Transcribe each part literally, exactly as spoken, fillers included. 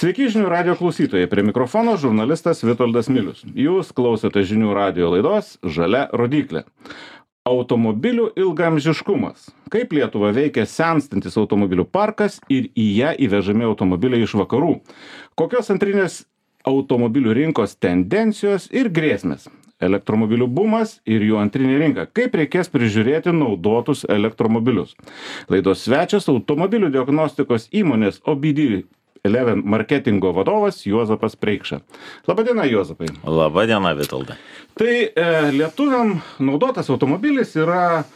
Sveiki žinių radio klausytojai, prie mikrofono žurnalistas Vitoldas Milius. Jūs klausote žinių radio laidos Žalia rodyklė. Automobilių ilgaamžiškumas. Kaip Lietuva veikia senstantis automobilių parkas ir į ją įvežami automobiliai iš vakarų. Kokios antrinės automobilių rinkos tendencijos ir grėsmės. Elektromobilių bumas ir jų antrinė rinka. Kaip reikės prižiūrėti naudotus elektromobilius. Laidos svečias automobilių diagnostikos įmonės O B D eleven marketingo vadovas Juozapas Preikša. Labadiena, Juozapai. Labadiena, Vitoldai. Tai e, lietuviam naudotas automobilis yra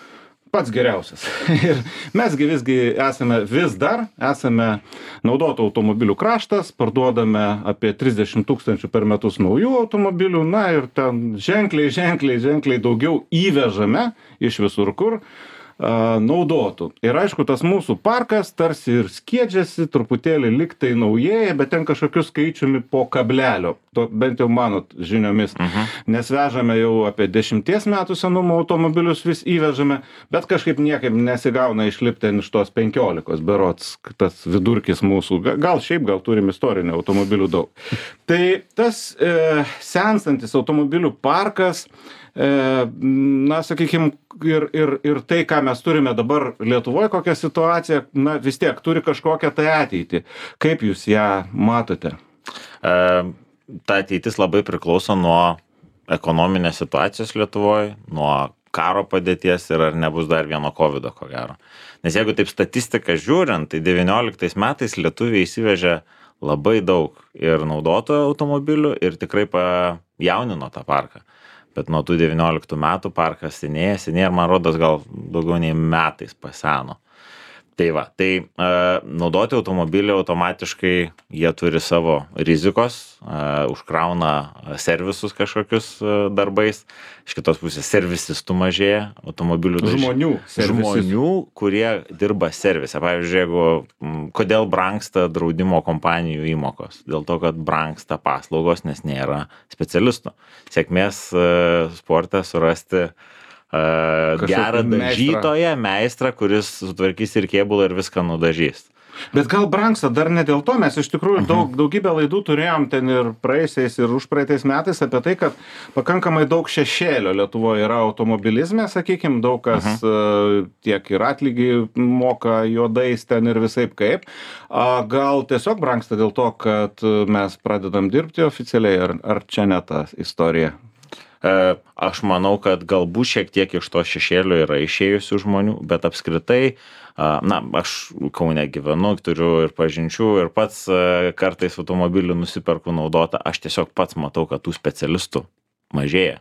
pats geriausias. Ir mesgi visgi esame, vis dar esame naudotų automobilių kraštas, parduodame apie trisdešimt tūkstančių per metus naujų automobilių, na ir ten ženkliai, ženkliai, ženkliai daugiau įvežame iš visur kur a, naudotų. Ir aišku, tas mūsų parkas tarsi ir skiedžiasi, truputėlį liktai naujėja, bet ten kažkokiu skaičiumi po kablelio, to, bent jau mano žiniomis. Uh-huh. Nes vežame jau apie dešimties metų senumo automobilius vis įvežame, bet kažkaip niekaip nesigauna išlipti iš tos penkiolikos, berods tas vidurkis mūsų. Gal šiaip, gal turim istorinių automobilių daug. Tai tas e, senstantis automobilių parkas, e, na, sakykime, ir, ir, ir tai, ką mes turime dabar Lietuvoje, kokią situaciją, na, vis tiek turi kažkokią tai ateitį. Kaip jūs ją matote? E, ta ateitis labai priklauso nuo ekonominės situacijos Lietuvoje, nuo karo padėties ir ar nebus dar vieno kovido, ko gero. Nes jeigu taip statistiką žiūrint, tai devynioliktais metais lietuviai įsivežė labai daug ir naudotų automobilių ir tikrai pajaunino tą parką. Bet nuo tų devynioliktų metų parkas senėja, senėja ir man rodos gal daugiau nei metais paseno. Tai va, tai e, naudoti automobilį automatiškai jie turi savo rizikos, e, užkrauna servisus kažkokius e, darbais. Iš kitos pusės servisistų mažėja automobilių. Žmonių. Žmonių, kurie dirba servise. Pavyzdžiui, jeigu, kodėl brangsta draudimo kompanijų įmokos? Dėl to, kad brangsta paslaugos, nes nėra specialistų. Sėkmės e, sporte surasti Uh, gerą dažytoją, meistrą, kuris sutvarkys ir kėbulą ir viską nudažys. Bet gal brangsta dar ne dėl to, mes iš tikrųjų uh-huh. daug, daugybę laidų turėjom ten ir praeisiais ir užpraeitais metais apie tai, kad pakankamai daug šešėlio Lietuvoje yra automobilizme, sakykime, daug kas uh-huh. uh, tiek ir atlygį moka juodais ten ir visaip kaip. Uh, gal tiesiog brangsta dėl to, kad mes pradedam dirbti oficialiai, ar, ar čia ne ta istorija? Aš manau, kad galbūt šiek tiek iš to šešėlio yra išėjusių žmonių, bet apskritai, na, aš Kaune gyvenu, turiu ir pažinčių ir pats kartais automobilį nusiperku naudotą, aš tiesiog pats matau, kad tų specialistų mažėja.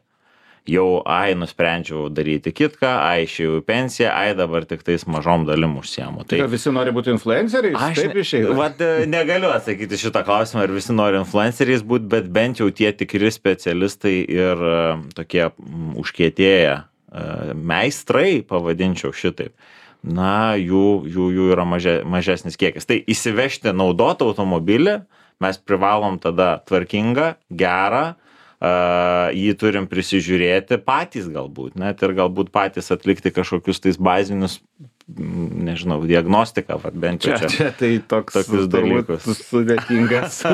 Jau, ai, nusprendžiau daryti kitką, ai, išėjau į pensiją, ai, dabar tik tais mažom dalim užsiemu. Tai visi nori būti influenceriais? Aš taip išeina. Vat, negaliu atsakyti šitą klausimą, ar visi nori influenceriais būti, bet bent jau tie tikri specialistai ir uh, tokie um, užkietėję uh, meistrai, pavadinčiau šitaip, na, jų, jų, jų yra maže, mažesnis kiekis. Tai įsivežti naudotą automobilį mes privalom tada tvarkingą, gerą, Uh, jį turim prisižiūrėti patys galbūt, net ir galbūt patys atlikti kažkokius tais bazinius, nežinau, diagnostiką, vat, bent jau čia. Čia, čia tai toks, tokius dalykus. Sudėtingas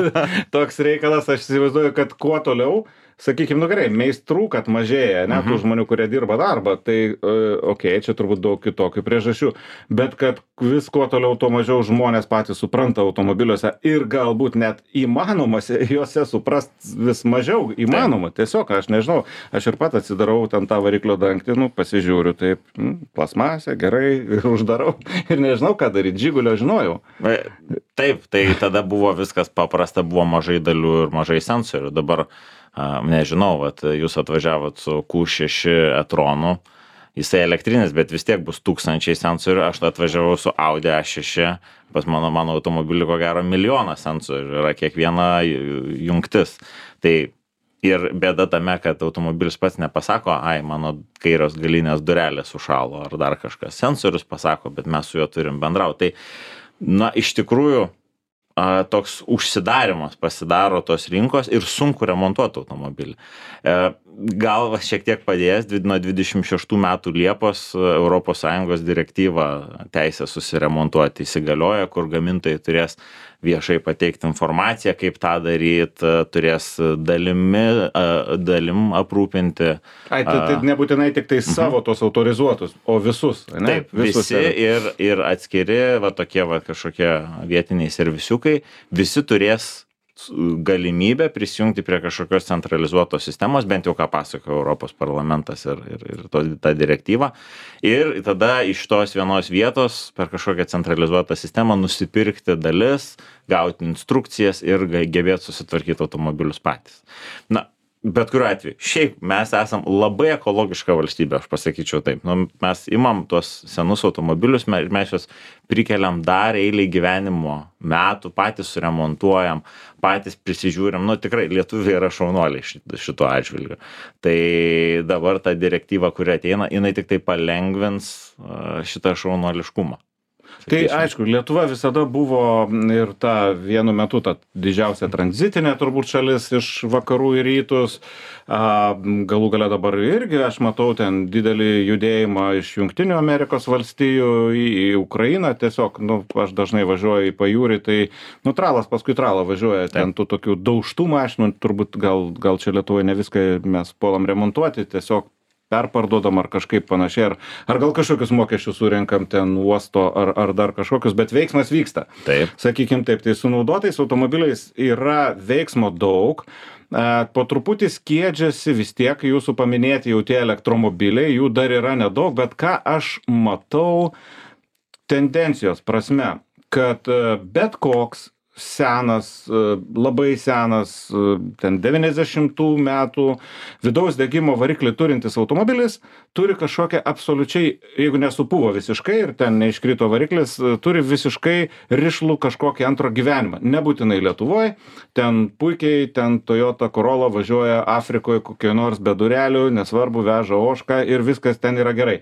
toks reikalas, aš įsivaizduoju, kad kuo toliau, sakykime, nu gerai, meistrų, kad mažėja, ne, tų žmonių, kurie dirba darbą, tai, okei, okay, čia turbūt daug kitokių priežasčių, bet kad vis kuo toliau, tuo mažiau žmonės patys supranta automobiliuose ir galbūt net įmanoma juose suprast vis mažiau įmanoma. Tiesiog, aš nežinau, aš ir pat atsidarau ten tą variklio dangtį, nu, pasižiūriu, taip, nu, plasmasė, gerai, uždarau ir nežinau, ką daryti, Žigulio žinojau. Taip, tai tada buvo viskas paprasta, buvo mažai dalių ir mažai sensorių, dabar Uh, nežinau, vat, jūs atvažiavot su Q šeši e-tronu, jisai elektrinis, bet vis tiek bus tūkstančiai sensorių, aš atvažiavau su Audi A šeši, pas mano, mano automobilį ko gero milijonas sensorių, yra kiekviena jungtis. Tai ir bėda tame, kad automobilis pats nepasako, ai, mano kairios galinės durelės sušalo ar dar kažkas. Sensorius pasako, bet mes su juo turim bendrauti. Tai, na, iš tikrųjų, a, toks užsidarimas pasidaro tos rinkos ir sunku remontuoti automobilį. E, gal šiek tiek padės, nuo dvidešimt šeštų metų Liepos Europos Sąjungos direktyva teisė susiremontuoti įsigalioja, kur gamintojai turės viešai pateikti informaciją, kaip tą daryti, turės dalimi, dalim aprūpinti. Ai, tai, tai nebūtinai tik tai savo uh-huh. tos autorizuotus, o visus, ne? Taip, visus visi ir, ir atskiri, va tokie va kažkokie vietiniai servisiukai, visi turės galimybę prisijungti prie kažkokios centralizuotos sistemos, bent jau ką pasako Europos parlamentas ir, ir, ir to, ta direktyva. Ir tada iš tos vienos vietos per kažkokią centralizuotą sistemą nusipirkti dalis, gauti instrukcijas ir gebėti susitvarkyti automobilius patys. Na, bet kuriuo atveju, šiaip mes esam labai ekologiška valstybė, aš pasakyčiau taip. Nu, mes imam tuos senus automobilius, mes, mes juos prikeliam dar eilį gyvenimo metų, patys suremontuojam, patys prisižiūrim. Nu, tikrai lietuviai yra šaunuoliai šito atžvilgiu. Tai dabar ta direktyva, kuri ateina, jinai tik tai palengvins šitą šaunuoliškumą. Tai aišku, Lietuva visada buvo ir ta vienu metu ta didžiausia tranzitinė turbūt šalis iš vakarų į rytus. A, galų gale dabar irgi aš matau ten didelį judėjimą iš Jungtinių Amerikos valstijų į, į Ukrainą. Tiesiog, nu, aš dažnai važiuoju į pajūrį, tai nu, tralas paskui tralą važiuoja. Ten tų tokių daužtų mašinų, turbūt gal, gal čia Lietuvoje ne viską mes puolam remontuoti, tiesiog perparduodam ar kažkaip panašiai, ar, ar gal kažkokius mokesčius surenkam ten uosto, ar, ar dar kažkokius, bet veiksmas vyksta. Taip. Sakykim taip, tai su naudotais automobiliais yra veiksmo daug, po truputį skiedžiasi vis tiek jūsų paminėti jau tie elektromobiliai, jų dar yra nedaug, bet ką aš matau tendencijos prasme, kad bet koks senas, labai senas, ten devyniasdešimtų metų vidaus degimo variklį turintis automobilis turi kažkokią absoliučiai, jeigu nesupuvo visiškai ir ten neiškrito variklis, turi visiškai rišlų kažkokį antro gyvenimą. Nebūtinai Lietuvoje, ten puikiai, ten Toyota Corolla važiuoja Afrikoje kokie nors be durelių, nesvarbu, veža ožką ir viskas ten yra gerai.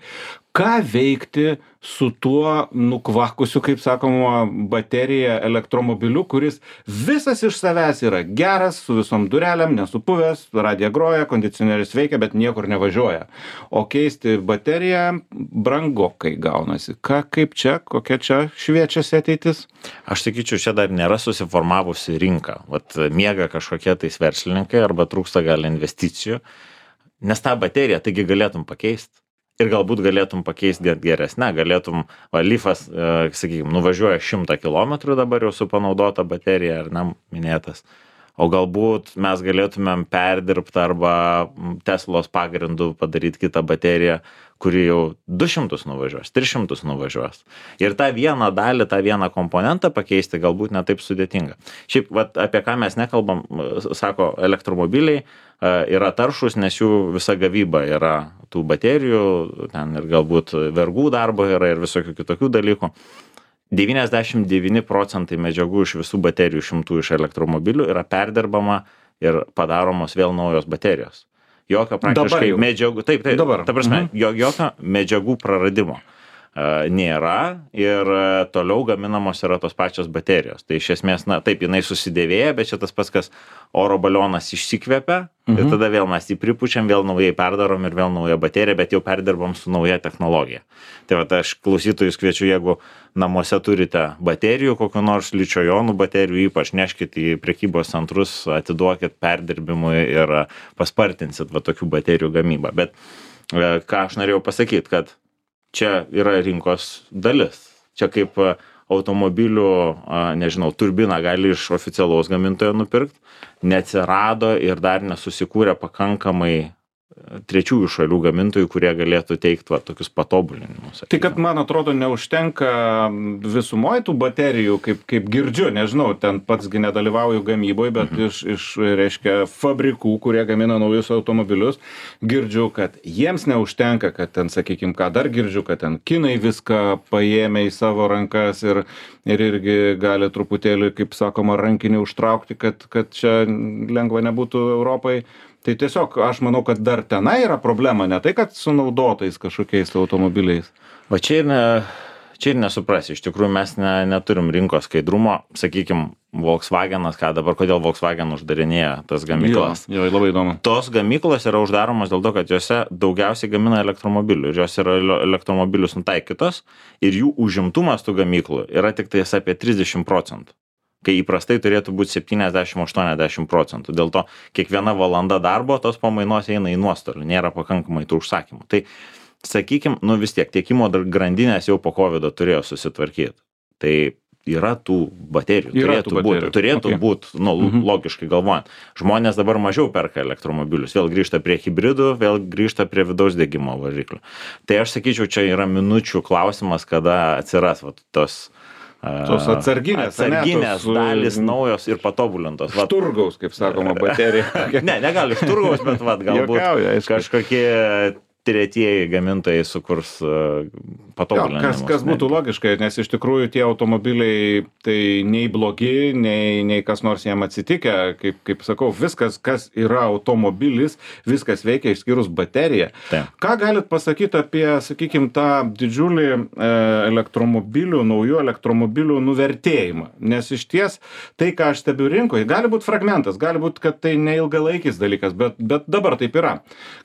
Ką veikti su tuo nukvakusiu, kaip sakoma, baterija elektromobiliu, kuris visas iš savęs yra geras, su visom dureliam, nesupuvęs, radija groja, kondicionierius veikia, bet niekur nevažiuoja. O keisti bateriją brangokai gaunasi. Ką, kaip čia, kokia čia šviečiasi ateitis? Aš sakyčiau, čia dar nėra susiformavusi rinka. Vat miega kažkokie tais verslininkai arba trūksta gal investicijų, nes tą bateriją taigi galėtum pakeisti. Ir galbūt galėtum pakeisti geresnę, galėtum, va, Leafas, e, sakykime, nuvažiuoja šimtą kilometrų dabar jau su panaudota baterija, ar ne, minėtas. O galbūt mes galėtumėm perdirbti arba Teslos pagrindų padaryti kitą bateriją, kuri jau du šimtus nuvažiuos, tris šimtus nuvažiuos. Ir tą vieną dalį, tą vieną komponentą pakeisti galbūt ne taip sudėtinga. Šiaip, vat, apie ką mes nekalbam, sako, elektromobiliai yra taršus, nes jų visa gavyba yra tų baterijų, ten ir galbūt vergų darbo yra ir visokių kitokių dalykų. devyniasdešimt devyni procentai medžiagų iš visų baterijų šimtų iš elektromobilių yra perdirbama ir padaromos vėl naujos baterijos. Jokio praktiškai medžiagų, taip, taip, dabar. Ta prasme, mhm. jokio medžiagų praradimo uh, nėra ir uh, toliau gaminamos yra tos pačios baterijos. Tai iš esmės, na, taip, jinai susidėvėja, bet čia tas pats, kas oro balionas išsikvepia, mhm. ir tada vėl mes jį pripučiam, vėl naujai perdarom ir vėl naują bateriją, bet jau perdirbam su nauja technologija. Tai va, aš klausytojus kviečiu, jeigu namuose turite baterijų, kokių nors ličio-jonų baterijų, ypač neškit į prekybos centrus, atiduokit perdirbimui ir paspartinsit va tokių baterijų gamybą. Bet ką aš norėjau pasakyti, kad čia yra rinkos dalis. Čia kaip automobilių, nežinau, turbiną gali iš oficialaus gamintojo nupirkti, neatsirado ir dar nesusikūrė pakankamai trečiųjų šalių gamintojų, kurie galėtų teikti va, tokius patobulinimus. Tai kad, man atrodo, neužtenka visumoj tų baterijų, kaip, kaip girdžiu, nežinau, ten patsgi nedalyvauju gamyboje, bet mhm. iš, iš, reiškia, fabrikų, kurie gamina naujus automobilius, girdžiu, kad jiems neužtenka, kad ten, sakykime, ką dar girdžiu, kad ten kinai viską paėmė į savo rankas ir, ir irgi gali truputėlį, kaip sakoma, rankinį užtraukti, kad, kad čia lengva nebūtų Europai. Tai tiesiog aš manau, kad dar tenai yra problema, ne tai, kad su naudotais kažkokiais automobiliais. Va čia ir ne, čia ir nesuprasi. Iš tikrųjų, mes ne, neturim rinkos skaidrumo. Sakykim, Volkswagenas, ką dabar, kodėl Volkswagen uždarinėja tas gamyklas. Jo, jo, labai įdomu. Tos gamyklos yra uždaromos dėl to, kad juose daugiausiai gamina elektromobilių ir jos yra elektromobilius nutaikytos ir jų užimtumas tų gamyklų yra tik tais apie trisdešim procentų. Kai įprastai turėtų būti septyniasdešim aštuoniasdešim procentų. Dėl to kiekviena valanda darbo tos pamainos eina į nuostolį, nėra pakankamai tų užsakymų. Tai, sakykim, nu vis tiek tiekimo grandinės jau po kovido turėjo susitvarkyti. Tai yra tų baterijų, yra turėtų tų būti, baterijų. turėtų Okay. būti, nu, Mhm. logiškai galvojant. Žmonės dabar mažiau perka elektromobilius, vėl grįžta prie hibridų, vėl grįžta prie vidaus degimo variklių. Tai aš sakyčiau, čia yra minučių klausimas, kada atsiras vat, tos Tos atsarginės, atsarginės ane, tos, dalys mm, naujos ir patobulintos. Vat, Turgaus, kaip sakoma, baterija. ne, negali iš turgaus, bet vat, galbūt Juokauju, aišku. kažkokie tretieji gamintojai sukurs uh, Jo, patobulinimus. kas, kas būtų logiška, nes iš tikrųjų tie automobiliai tai nei blogi, nei, nei kas nors jiem atsitikę, kaip, kaip sakau, viskas, kas yra automobilis, viskas veikia išskyrus bateriją. Taip. Ką galit pasakyti apie, sakykime, tą didžiulį e, elektromobilių, naujų elektromobilių nuvertėjimą? Nes iš ties tai, ką aš stebiu rinkoje, gali būti fragmentas, gali būti, kad tai neilgalaikis dalykas, bet, bet dabar taip yra,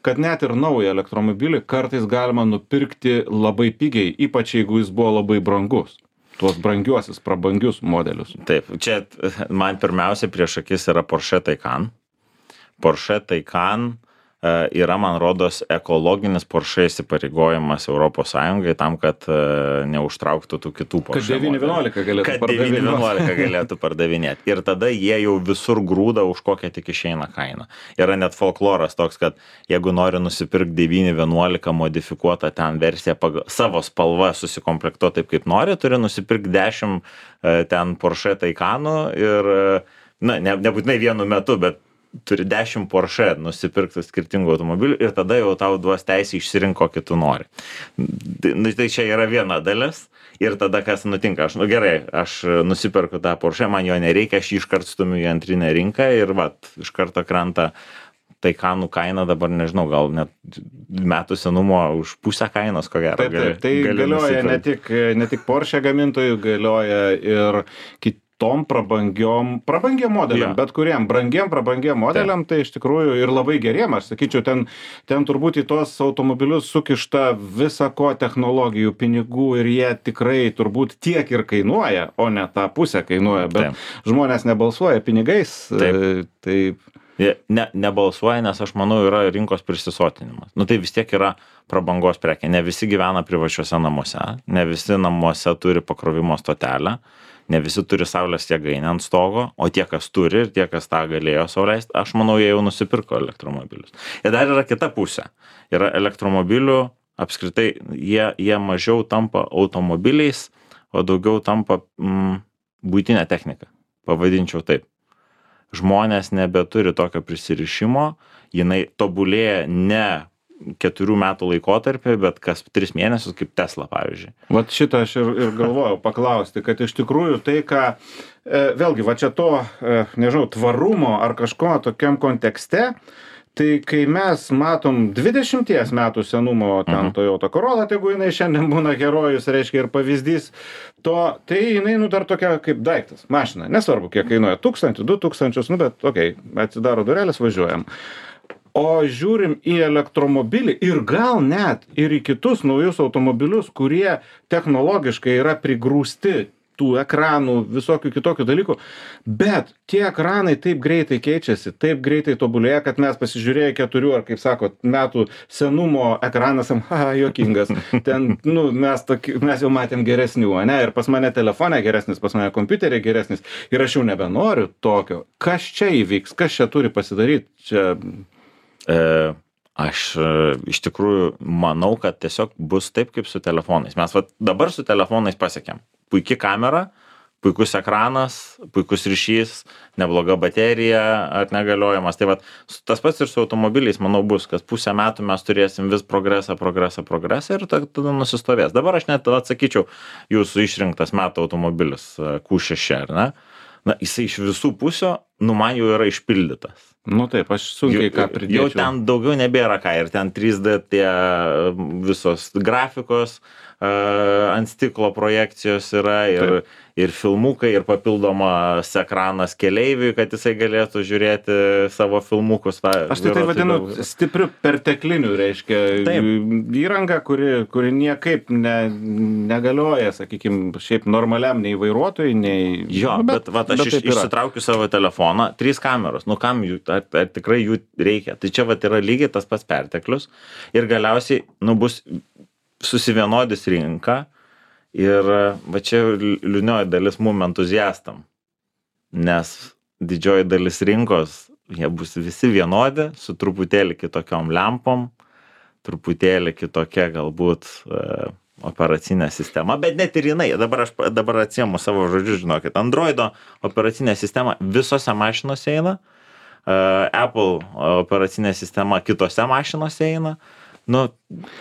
kad net ir naują elektromobilį kartais galima nupirkti labai pigiai, ypač jeigu jis buvo labai brangus. Tuos brangiuosius, prabangius modelius. Taip, čia man pirmiausia prieš akis yra Porsche Taycan. Porsche Taycan uh, yra, man rodos, ekologinis Porsche įsipareigojimas Europos Sąjungai tam, kad uh, neužtrauktų tų kitų Porsche. Kad devyni vienuolika galėtų Kad devyni vienuolika galėtų pardavinėti. Ir tada jie jau visur grūda už kokią tik išeina kainą. Yra net folkloras toks, kad jeigu nori nusipirkti devyni vienuolika modifikuotą ten versiją pagal savo spalvą susikomplektuoti taip, kaip nori, turi nusipirkti dešimt uh, ten Porsche Taycanų ir, uh, na, ne, nebūtinai vienu metu, bet turi dešimt Porsche nusipirkti skirtingų automobilių ir tada jau tau duos teisę išsirinkti, kokį tu nori. Tai čia yra viena dalis ir tada kas nutinka, aš, nu gerai, aš nusipirku tą Porsche, man jo nereikia, aš jį iškart stumiu į antrinę rinką ir vat, iš karto krenta Taycanų kaina dabar, nežinau, gal net metų senumo už pusę kainos, ko gero. Taip, taip, tai galioja ne tik, ne tik Porsche gamintojų, galioja ir kitom prabangiom, prabangiam modeliam, Jo. bet kuriem brangiem, prabangiam modeliam, tai iš tikrųjų ir labai geriem, aš sakyčiau, ten, ten turbūt į tos automobilius sukišta visa ko technologijų, pinigų ir jie tikrai turbūt tiek ir kainuoja, o ne tą pusę kainuoja, bet Taip. žmonės nebalsuoja pinigais. Taip. e, Taip. Jie Ne, nebalsuoja, nes aš manau yra rinkos prisisotinimas. Nu tai vis tiek yra prabangos prekė. Ne visi gyvena privačiuose namuose, ne visi namuose turi pakrovimo stotelę, ne visi turi saulės jėgainę ant stogo, o tie, kas turi ir tie, kas tą galėjo sau leisti, aš manau, jie jau nusipirko elektromobilius. Ir dar yra kita pusė. Yra elektromobilių, apskritai, jie, jie mažiau tampa automobiliais, o daugiau tampa mm, buitinė technika. Pavadinčiau taip. Žmonės nebeturi tokio prisirišimo, jinai tobulėja ne keturių metų laikotarpį, bet kas tris mėnesius, kaip Tesla, pavyzdžiui. Vat šitą aš ir, ir galvojau paklausti, kad iš tikrųjų tai, ką, e, vėlgi, va čia to, e, nežinau, tvarumo ar kažko tokiam kontekste, tai kai mes matom dvidešimties metų senumo ten Mhm. Toyota Corolla, tai jeigu jinai šiandien būna herojus, reiškia ir pavyzdys, to, tai jinai, nu, dar tokia kaip daiktas, mašina, nesvarbu, kiek kainuoja, tūkstantį, du tūkstančius, nu, bet, okei, okay, atsidaro durelės, važiuojam. O žiūrim į elektromobilį ir gal net ir į kitus naujus automobilius, kurie technologiškai yra prigrūsti tų ekranų, visokių kitokių dalykų, bet tie ekranai taip greitai keičiasi, taip greitai tobulėja, kad mes pasižiūrėję keturių ar, kaip sako, metų senumo ekranas, ha, juokingas, ten, nu, mes, toki, mes jau matėm geresnių, ne, ir pas mane telefone geresnis, pas mane kompiuterė geresnis, ir aš jau nebenoriu tokio. Kas čia įvyks, kas čia turi pasidaryti? Čia... E, aš e, iš tikrųjų manau, kad tiesiog bus taip, kaip su telefonais. Mes vat, dabar su telefonais pasiekėm. Puiki kamera, puikus ekranas, puikus ryšys, nebloga baterija, atnegaliojimas. Tai vat, tas pats ir su automobiliais, manau, bus, kad pusę metų mes turėsim vis progresą, progresą, progresą ir tada nusistovės. Dabar aš net atsakyčiau, jūsų išrinktas metų automobilis Q šeši, ar ne? Na, jisai iš visų pusių nu man jau yra išpildytas. Nu taip, aš sunkiai ką pridėčiau. Jau ten daugiau nebėra ką ir ten trys D tie visos grafikos uh, ant stiklo projekcijos yra ir, ir filmukai ir papildomas ekranas keleiviui, kad jisai galėtų žiūrėti savo filmukus. Ta, aš tai tai vadinu daug... stipriu pertekliniu, reiškia, taip. Įranga, kuri, kuri niekaip ne, negalioja, sakykime, šiaip normaliam nei vairuotojui, nei... Jo, nu, bet, bet vat, aš bet iš, išsitraukiu savo telefoną, trys kameros, nu kam jų, ar, ar tikrai jų reikia. Tai čia vat yra lygiai tas pats perteklius ir galiausiai, nu, bus susivienodis rinka ir va čia liūdnioji dalis mum entuziastam, nes didžioji dalis rinkos, jie bus visi vienodi, su truputėlį kitokiom lempom, truputėlį kitokia galbūt e, operacinė sistema, bet net ir jinai, dabar aš dabar atsiemu savo žodžius, žinokit, Androido operacinė sistema visose mašinose eina, Uh, Apple operacinė sistema kitose mašinose eina, nu,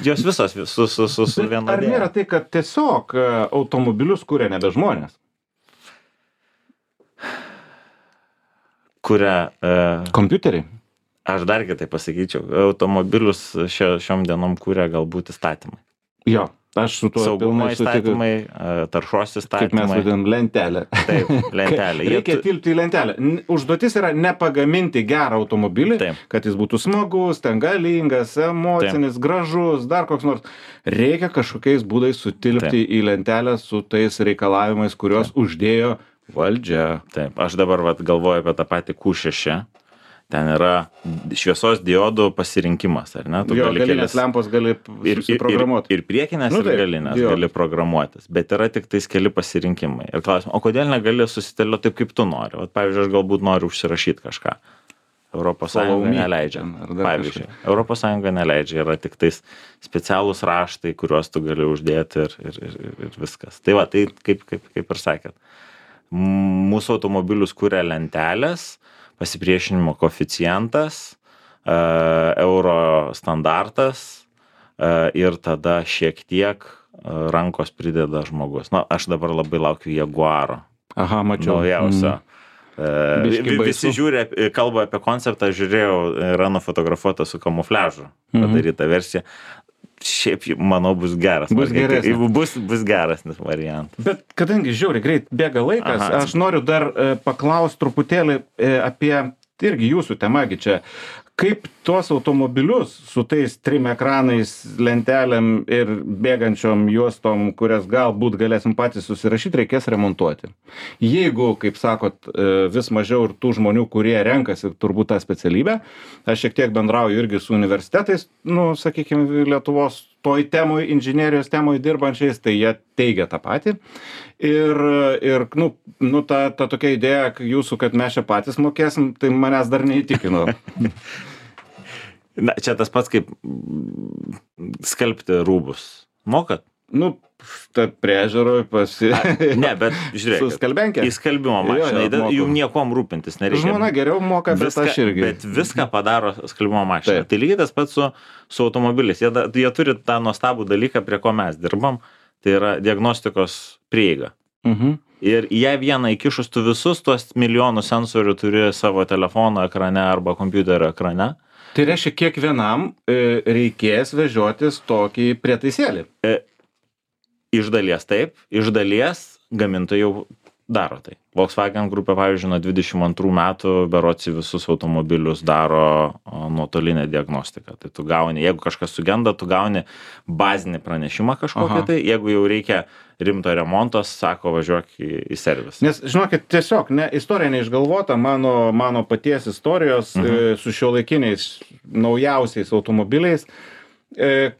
jos visos su, su, su, su vienodėje. Ar nėra tai, kad tiesiog automobilius kuria nebe žmonės? Kuria... Uh, kompiuteriai? Aš dar kitai pasakyčiau, automobilius šio, šiom dienom kuria galbūt įstatymai. Jo. Aš su tuo saugumo įstatymai, taršos įstatymai. Kaip mes vadinam, lentelę. Taip, lentelė. Reikia tu... tilpti į lentelę. Užduotis yra nepagaminti gerą automobilį, taip. Kad jis būtų smagus, ten galingas, emocinis, taip. Gražus, dar koks nors. Reikia kažkokiais būdais sutilpti taip. Į lentelę su tais reikalavimais, kuriuos taip. Uždėjo valdžia. Taip, aš dabar vat, galvoju apie tą patį Q šeši. Ten yra šviesos diodų pasirinkimas, ar ne? Tu jo, gali galinės kelis... lempos gali susiprogramuoti. Ir, ir, ir priekinės, nu, ir galinės jo. Gali programuotis, bet yra tik tais keli pasirinkimai. Ir klausim, o kodėl negali susitėlioti taip, kaip tu nori? Vat, pavyzdžiui, aš galbūt noriu užsirašyti kažką. Europos Sąjunga neleidžia. Pavyzdžiui, Europos Sąjunga neleidžia, yra tik tais specialūs raštai, kuriuos tu gali uždėti ir, ir, ir, ir viskas. Tai va, tai kaip, kaip, kaip ir sakėt, mūsų automobilius kuria lentelės, pasipriešinimo koeficientas, uh, euro standartas uh, ir tada šiek tiek uh, rankos prideda žmogus. Na, aš dabar labai laukiu Jaguaro. Aha, mačiau. Naujausio. Mm. Uh, visi žiūri, kalba apie konceptą, žiūrėjau, yra nufotografuota su kamufliažu padaryta mm-hmm. versija. Šiaip, manau, bus geras. Bus geresnis. Bus, bus geresnis variantas. Bet kadangi žiauriai greit bėga laikas, aha, aš noriu dar e, paklausti truputėlį e, apie, irgi jūsų temagi čia, kaip tuos automobilius su tais trim ekranais, lentelėm ir bėgančiom juostom, kurias galbūt galėsim patys susirašyti, reikės remontuoti. Jeigu, kaip sakot, vis mažiau ir tų žmonių, kurie renkasi turbūt tą specialybę, aš šiek tiek bendrauju irgi su universitetais, nu, sakykime, Lietuvos toj temoj, inžinerijos temoj dirbančiais, tai jie teigia tą patį. Ir, ir nu, nu ta, ta tokia idėja jūsų, kad mes čia patys mokėsim, tai manęs dar neįtikino. Na, čia tas pats kaip skalbti rūbus. Mokat? Nu, ta priežiūroj pasi... A, ne, bet žiūrėk. Su skalbenkė? Į skalbimo mašiną. Jum niekom rūpintis nereikia. Žmona geriau moka, bet viską, aš irgi. Bet viską padaro skalbimo mašina. Tai lygiai tas pats su, su automobiliais. Jie, jie turi tą nuostabų dalyką, prie ko mes dirbam. Tai yra diagnostikos prieiga. Mhm. Ir ją vieną įkišus tu visus tuos milijonų sensorių turi savo telefono ekrane arba kompiuterio ekrane. Tai reiškia, kiekvienam e, reikės vežiotis tokį prietaisėlį. E, iš dalies taip, iš dalies gamintojai jau daro tai. Volkswagen grupė, pavyzdžiui, nuo dvidešimt antrų metų berods visus automobilius daro nuotolinę diagnostiką. Tai tu gauni, jeigu kažkas sugenda, tu gauni bazinį pranešimą kažkokią. Aha. Tai, jeigu jau reikia rimto remonto, sako, važiuok į, į servisą. Nes, žinokit, tiesiog ne, istorija neišgalvota, mano, mano paties istorijos mhm. e, su šiuolaikiniais naujausiais automobiliais,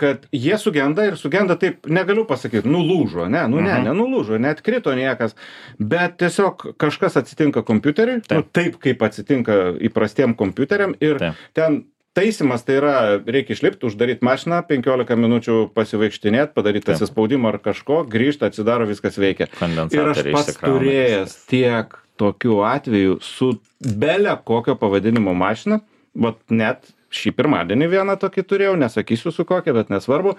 kad jie sugenda ir sugenda taip, negaliu pasakyti, nulūžo, ne, nu ne, nenulūžo, net krito niekas, bet tiesiog kažkas atsitinka kompiuteriui, taip, nu, taip kaip atsitinka įprastiem kompiuteriam ir taip. Ten taisymas tai yra, reikia išlipti, uždaryti mašiną, penkiolika minučių pasivaikštinėti, padaryti atsispaudimą ar kažko, grįžti, atsidaro, viskas veikia. Ir aš pats turėjęs tiek tokių atvejų su bele kokio pavadinimo mašina, vat net šį pirmadienį vieną tokį turėjau, nesakysiu su kokia, bet nesvarbu.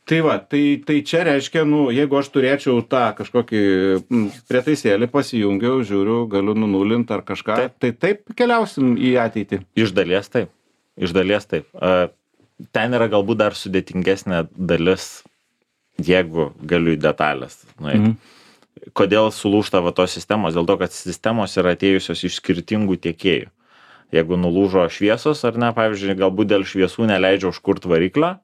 Tai va, tai, tai čia reiškia, nu, jeigu aš turėčiau tą kažkokį m, prietaisėlį, pasijungiau, žiūriu, galiu nunulinti ar kažką, taip. tai taip keliausim į ateitį. Iš dalies taip. Iš dalies taip. Uh, ten yra galbūt dar sudėtingesnė dalis, jeigu galiu į detalės nueiti. Mhm. Kodėl sulūžta va tos sistemos? Dėl to, kad sistemos yra atėjusios iš skirtingų tiekėjų. Jeigu nulūžo šviesos ar ne, pavyzdžiui, galbūt dėl šviesų neleidžia užkurti variklio,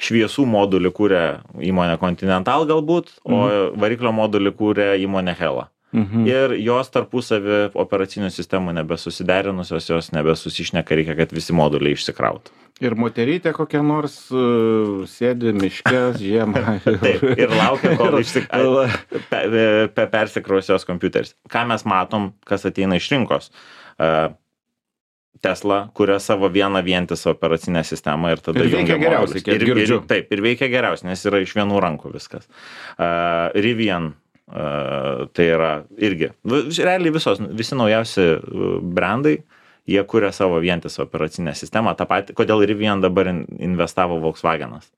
šviesų modulį kūrė įmonė Continental galbūt, mhm. o variklio modulį kūrė įmonė Hella. Mhm. Ir jos tarpusavį operacinių sistemų nebesusiderinusios, jos nebesusišneka, reikia, kad visi moduliai išsikrautų. Ir moterytė kokia nors uh, sėdi miške žiemą. Taip, ir laukia, kol išsikrausios pe, pe, persikrausios kompiuteris. Ką mes matom, kas ateina iš rinkos? Uh, Tesla kuria savo vieną vientisą operacinę sistemą ir tada ir veikia geriausiai, kiek ir, girdžiu. Ir, taip, ir veikia geriausiai, nes yra iš vienų rankų viskas. Uh, Rivian, uh, tai yra irgi, realiai visos, visi naujausi brandai, jie kuria savo vientisą operacinę sistemą. Ta pati, kodėl Rivian dabar investavo Volkswagenas?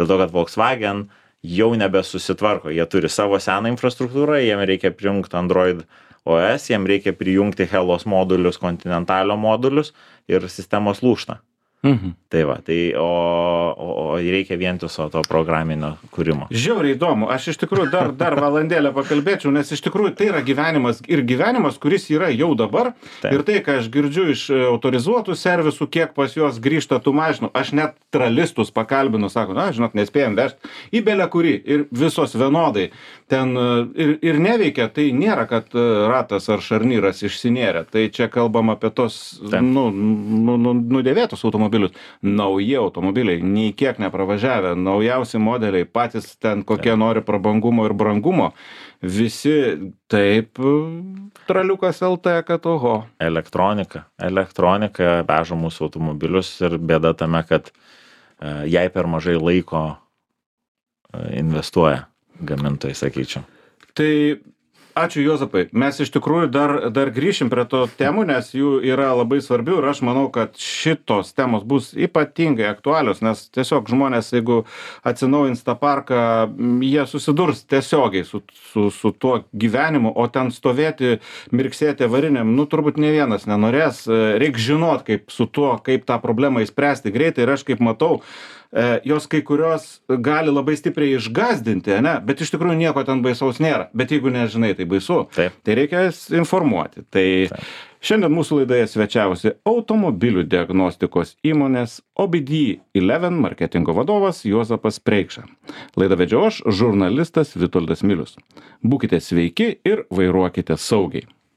Dėl to, kad Volkswagen jau nebesusitvarko, jie turi savo seną infrastruktūrą, jiem reikia prijungti Android O S, jiem reikia prijungti Hellos modulius, Continentalio modulius ir sistemos lūžta. Mhm. Tai va, tai o, o, o reikia vientiso to programinio kūrimo. Žiauriai įdomu, aš iš tikrųjų dar, dar valandėlę pakalbėčiau, nes iš tikrųjų tai yra gyvenimas ir gyvenimas, kuris yra jau dabar. Taip. Ir tai, ką aš girdžiu iš autorizuotų servisų, kiek pas juos grįžta tų mašinų, aš net tralistus pakalbinu, sako, na, žinok, nespėjom vežti į belę kurį ir visos vienodai. Ten ir, ir neveikia, tai nėra, kad ratas ar šarnyras išsinėrė. Tai čia kalbam apie tos, nu, nu, nu, nudėvėtus automobilius. Nauji automobiliai, nei kiek nepravažiavę, naujausi modeliai, patys ten kokie taip. Nori prabangumo ir brangumo. Visi taip, traliukas L T, kad oho. Elektronika. Elektronika veža mūsų automobilius ir bėda tame, kad uh, jai per mažai laiko uh, investuoja gamintojai, sakyčiau. Tai ačiū Juozapai, mes iš tikrųjų dar, dar grįšim prie to temų, nes jų yra labai svarbių ir aš manau, kad šitos temos bus ypatingai aktualios, nes tiesiog žmonės, jeigu atsinaujins tą parką, jie susidurs tiesiogiai su, su, su tuo gyvenimu, o ten stovėti, mirksėti avariniam, nu turbūt ne vienas nenorės, reikia žinot, kaip su tuo, kaip tą problemą įspręsti greitai ir aš kaip matau, jos kai kurios gali labai stipriai išgazdinti, ne? Bet iš tikrųjų nieko ten baisaus nėra. Bet jeigu nežinai, tai baisu. Taip. Tai reikia informuoti. Tai Taip. Šiandien mūsų laidoje svečiavosi automobilių diagnostikos įmonės O B D eleven marketingo vadovas Juozapas Preikša. Laidą vedžiau aš, žurnalistas Vitoldas Milius. Būkite sveiki ir vairuokite saugiai.